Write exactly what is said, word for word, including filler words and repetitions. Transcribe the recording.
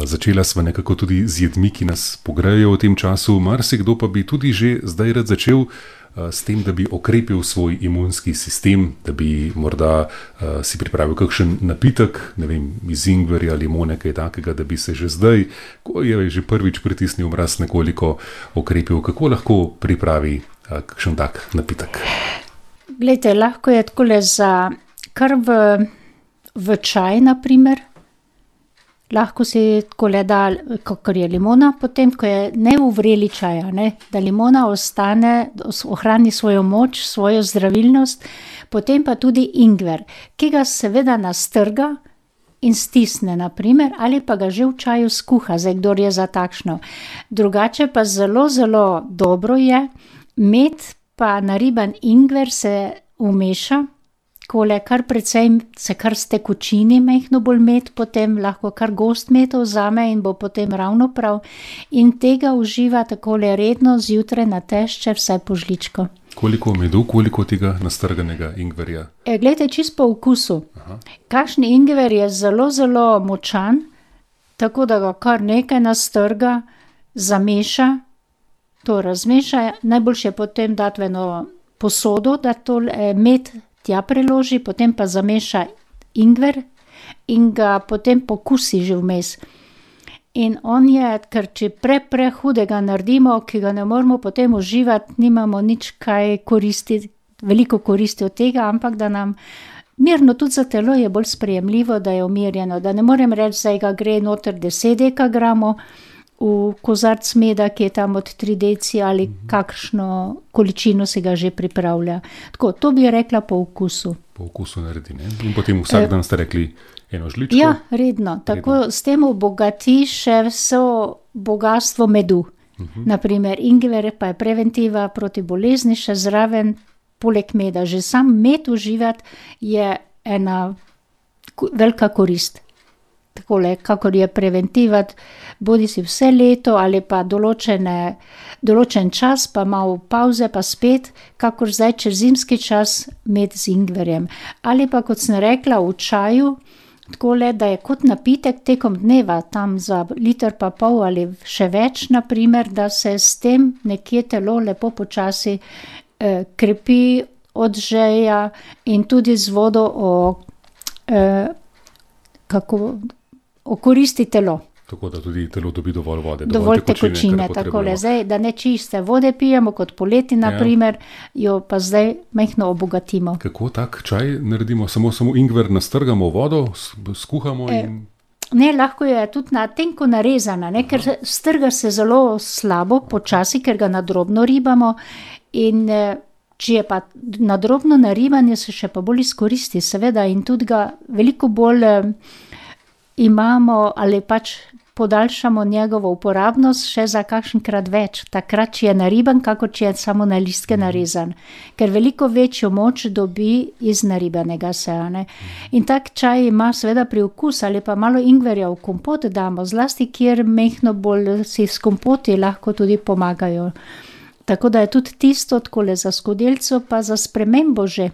začela sva nekako tudi z jedmi, ki nas pogrejejo v tem času. Marsikdo pa bi tudi že zdaj rad začel s tem, da bi okrepil svoj imunski sistem, da bi morda uh, si pripravil kakšen napitek, ne vem, iz ingverja, limone, kaj takega, da bi se že zdaj, ko je že prvič pritisnil mraz, nekoliko okrepil. Kako lahko pripravi uh, kakšen tak napitek? Glejte, lahko je takole za kar v, v čaj, na primer. Lahko si takole da, kakor je limona, potem, ko je ne v vreli čaja, ne, da limona ostane, ohrani svojo moč, svojo zdravilnost, potem pa tudi ingver, ki ga seveda nastrga in stisne, na primer, ali pa ga že v čaju skuha, zdaj kdor je za takšno. Drugače pa zelo, zelo dobro je, med pa nariban ingver se umeša, kole kar precej se kar s tekočini mehno bolj med, potem lahko kar gost med vzame in bo potem ravno prav. In tega uživa takole redno zjutraj na tešče vsaj po žličko. Koliko medu, koliko tega nastrganega ingverja? E, glejte, čisto po okusu. Aha. Kakšni ingver je zelo, zelo močan, tako da ga kar nekaj nastrga, zameša, to razmeša, najboljše potem dati v eno posodo, da to med tja preloži, potem pa zameša ingver in ga potem pokusi že vmes. In on je, ker če pre, pre hudega naredimo, ki ga ne moramo potem uživati, nimamo nič kaj koristi, veliko koristi od tega, ampak da nam mirno tudi za telo je bolj sprejemljivo, da je umirjeno, da ne morem reči, da ga gre noter deset dekagramov v kozarc meda, ki je tam od tri deci ali kakšno količino se ga že pripravlja. Tako, to bi rekla po okusu. Po okusu naredi, ne? In potem vsak dan ste rekli eno žličko? Ja, redno. Tako redno. S tem obogati še vso bogatstvo medu. Uh-huh. Naprimer, ingver pa je preventiva proti bolezni, še zraven poleg meda. Že sam med uživati je ena velika korist. Takole, kakor je preventivat, bodi si vse leto ali pa določene, določen čas, pa malo pauze, pa spet, kakor zdaj čez zimski čas med z ingverjem. Ali pa, kot sem rekla, v čaju, takole, da je kot napitek tekom dneva, tam za liter pa pol ali še več, naprimer, da se s tem nekje telo lepo počasi eh, krepi, odžeja in tudi z vodo o, eh, kako okoristi telo. Tako da tudi telo dobi dovolj vode. Dovolj, dovolj tekočine, takole. Zdaj, da ne čiste vode pijemo, kot poleti, naprimer, ja. Jo pa zdaj mehno obogatimo. Kako tak čaj naredimo? Samo, samo ingver nastrgamo vodo, skuhamo in... E, ne, lahko je tudi na tenko narezana, ne, ker strga se zelo slabo, počasi, ker ga nadrobno ribamo in če je pa nadrobno naribanje, se še pa bolj izkoristi, seveda, in tudi ga veliko bolj imamo ali pač podaljšamo njegovo uporabnost še za kakšenkrat več, takrat, če je nariban, kako če je samo na listke narezan, ker veliko večjo moč dobi iz naribanega seja. In tak čaj ima seveda priokus ali pa malo ingverja v kompot damo, zlasti kjer mehno bolj si s kompoti lahko tudi pomagajo. Tako da je tudi tisto, takole za skodelico, pa za spremembo že.